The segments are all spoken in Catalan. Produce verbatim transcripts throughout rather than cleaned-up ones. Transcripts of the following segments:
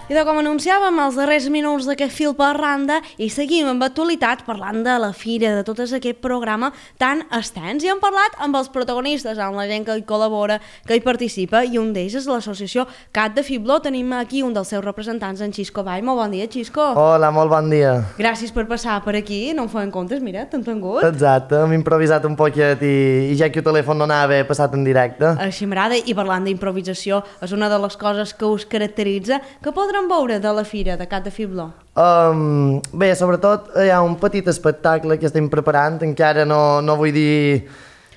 I de com anunciàvem els darrers minuts d'aquest fil per randa i seguim amb actualitat parlant de la fira, de tot aquest programa tan extens. I hem parlat amb els protagonistes, amb la gent que hi col·labora, que hi participa, i un d'ells és l'associació Cat de Fibló. Tenim aquí un dels seus representants, en Xisco Vall. Molt bon dia, Xisco. Hola, molt bon dia. Gràcies per passar per aquí, no em feien comptes, mira, t'han tingut. Exacte, hem improvisat un poquet i, i ja que el telèfon no anava, he passat en directe. Així m'agrada, i parlant d'improvisació, és una de les coses que us caracteritza, que podrem veure de la fira de Cat de Fibló. Um, bé, sobretot hi ha un petit espectacle que estem preparant, encara no, no vull dir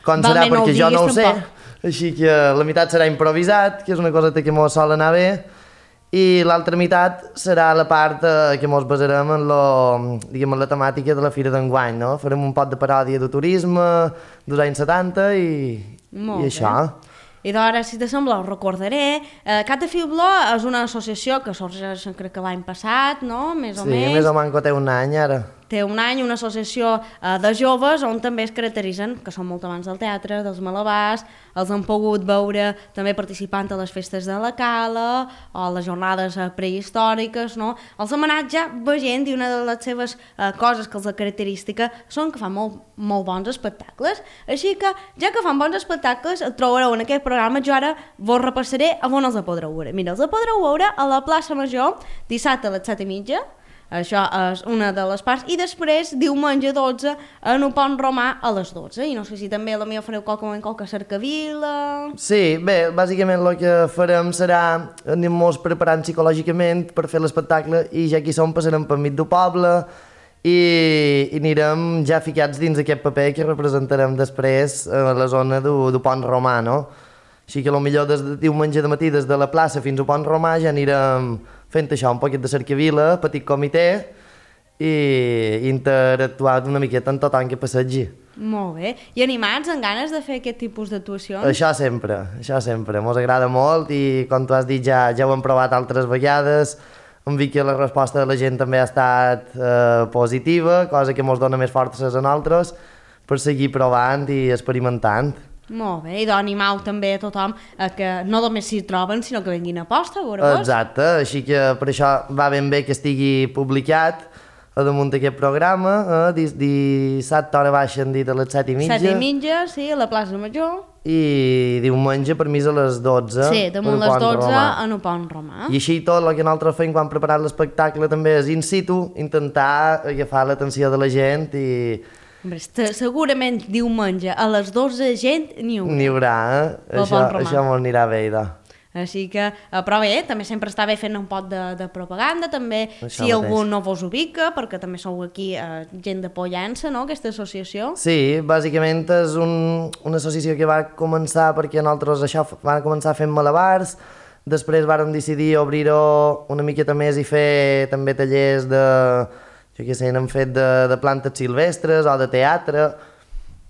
com serà Val, perquè no jo no ho sé, tampoc. Així que la meitat serà improvisat, que és una cosa que mos sol anar bé, i l'altra meitat serà la part eh, que mos basarem en, lo, diguem, en la temàtica de la fira d'enguany, no? Farem un pot de paròdia de turisme dels anys setanta i, Molt i bé. això. I d'ara, si te sembla, us recordaré. Eh, Cat de Fibló és una associació que sorgeix, crec que l'any passat, no? Més o Sí, menys. més o menys té un any ara. Té un any, una associació eh, de joves on també es caracteritzen, que són molt amants del teatre, dels malabars, els han pogut veure també participant a les festes de la Cala o a les jornades eh, prehistòriques, no? Els hem anat ja veient, i una de les seves eh, coses que els característica són que fan molt, molt bons espectacles. Així que, ja que fan bons espectacles, el trobareu en aquest programa. Jo ara vos repassaré a on els podreu veure. Mira, els podreu veure a la plaça Major dissabte a les set i mitja. Això és una de les parts, i després diumenge dotze en un pont romà a les dotze, i no sé si també a la meva fareu qualque moment qualque cercavila. Sí, bé, bàsicament el que farem serà anem-nos preparant psicològicament per fer l'espectacle, i ja que hi som passarem per mig del poble i, i anirem ja ficats dins aquest paper que representarem després a la zona del pont romà, no? Així que potser des de diumenge de matí des de la plaça fins al pont romà ja anirem fent això, un poquet de cercavila, petit comitè, i interactuar una miqueta amb tothom que passegi. Molt bé. I animats, amb ganes de fer aquest tipus d'actuacions? Això sempre, això sempre. Mos agrada molt i, com tu has dit, ja, ja ho hem provat altres vegades. Hem vist que la resposta de la gent també ha estat eh, positiva, cosa que mos dona més forces a nosaltres per seguir provant i experimentant. Molt bé, i d'animau també a tothom a que no només s'hi troben, sinó que venguin a posta, a veure-vos. Exacte, així que per això va ben bé que estigui publicat a damunt d'aquest programa. Eh? Dis, dissabte hora baixa han dit a les set i mitja. Set i mitja, sí, a la plaça Major. I diumenge per mi és a les dotze. Sí, damunt les dotze en el pont romà. I així tot el que nosaltres fem quan preparat l'espectacle també és in situ, intentar agafar l'atenció de la gent i... Hombre, segurament diumenge a les dotze gent n'hi haurà. N'hi haurà, eh? Això, això m'ho anirà bé, idò. Així que, eh, però bé, també sempre està bé fent un pot de, de propaganda, també Això si mateix. algú no vos ubica, perquè també sou aquí eh, gent de Pollença, no?, aquesta associació. Sí, bàsicament és un, una associació que va començar perquè nosaltres això van començar fent malabars, després vàrem decidir obrir-ho una miqueta més i fer també tallers de... jo què sé, n'hem fet de, de plantes silvestres o de teatre,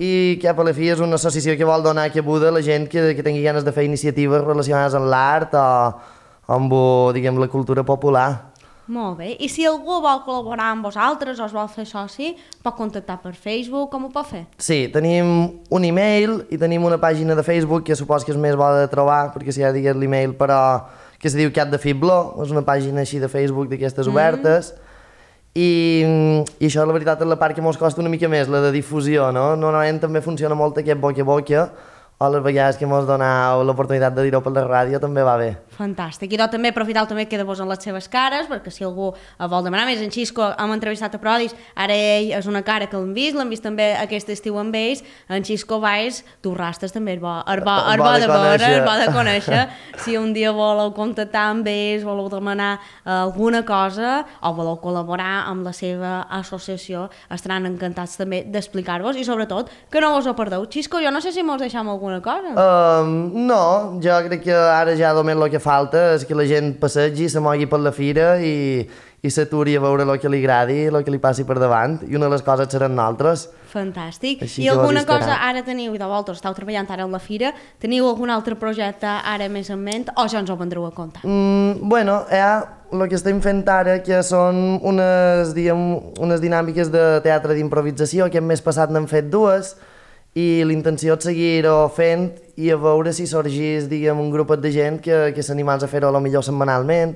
i cap a la fi és una associació que vol donar cabuda a la gent que, que tingui ganes de fer iniciatives relacionades amb l'art o, o amb, diguem, la cultura popular. Molt bé, i si algú vol col·laborar amb vosaltres o es vol fer soci, pot contactar per Facebook, com ho pot fer? Sí, tenim un e-mail i tenim una pàgina de Facebook que supos que és més bona de trobar, perquè si ja digués l'e-mail, però que se diu Cat de Fibló, és una pàgina així de Facebook d'aquestes mm. obertes. I, i això la veritat és la part que mos costa una mica més, la de difusió, no? Normalment també funciona molt aquest boca a boca, o les vegades que mos donau l'oportunitat de dir-ho per la ràdio també va bé. Fantàstic. I doncs també aprofitar també que de vos en les seves cares, perquè si algú vol demanar més, en Xisco hem entrevistat a Prodis, ara ell és una cara que l'hem vist, l'hem vist també aquest estiu amb ells, en Xisco Valls, tu rastes també és bo, és bo, és bo de veure, és bo de conèixer. Si un dia voleu contactar amb ells, voleu demanar alguna cosa o voleu col·laborar amb la seva associació, estaran encantats també d'explicar-vos i sobretot que no vos ho perdeu. Xisco, jo no sé si mos deixam alguna cosa. Um, no, jo crec que ara ja només el que falta és que la gent passegi, se mogui per la fira i, i s'aturi a veure el que li agradi, el que li passi per davant, i una de les coses seran nosaltres. Fantàstic. Així I alguna estaran. cosa ara teniu, i de vosaltres esteu treballant ara en la fira, teniu algun altre projecte ara més en ment o ja ens ho vendreu a comptar? Mm, bueno, ja el que estem fent ara, que són unes, diguem, unes dinàmiques de teatre d'improvisació, que el mes passat n'hem fet dues, i l'intenció és seguir-ho fent i a veure si sorgís, diguem, un grupet de gent que, que s'animals a fer-ho a lo millor setmanalment,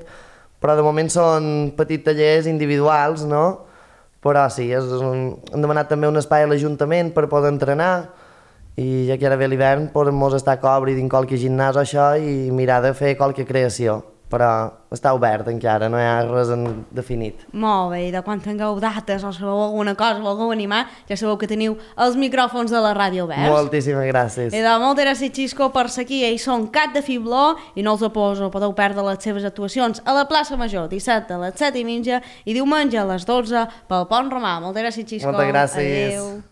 però de moment són petits tallers individuals, no? Però sí, és un, hem demanat també un espai a l'Ajuntament per poder entrenar i ja que ara ve l'hivern podem estar a cobrir dins qualque gimnàs o això i mirar de fer qualque creació, però està obert encara, no hi ha res en definit. Molt bé, i de quan tingueu dates o sabeu alguna cosa, volgueu animar, ja sabeu que teniu els micròfons de la ràdio oberts. Moltíssimes gràcies. I de moltes gràcies, Xisco, per ser aquí. Ells són Cat de Fibló i no els oposo, podeu perdre les seves actuacions a la plaça Major, dissabte a les set i mitja i diumenge a les dotze pel Pont Romà. Moltes gràcies, Xisco. Moltes gràcies. Adéu.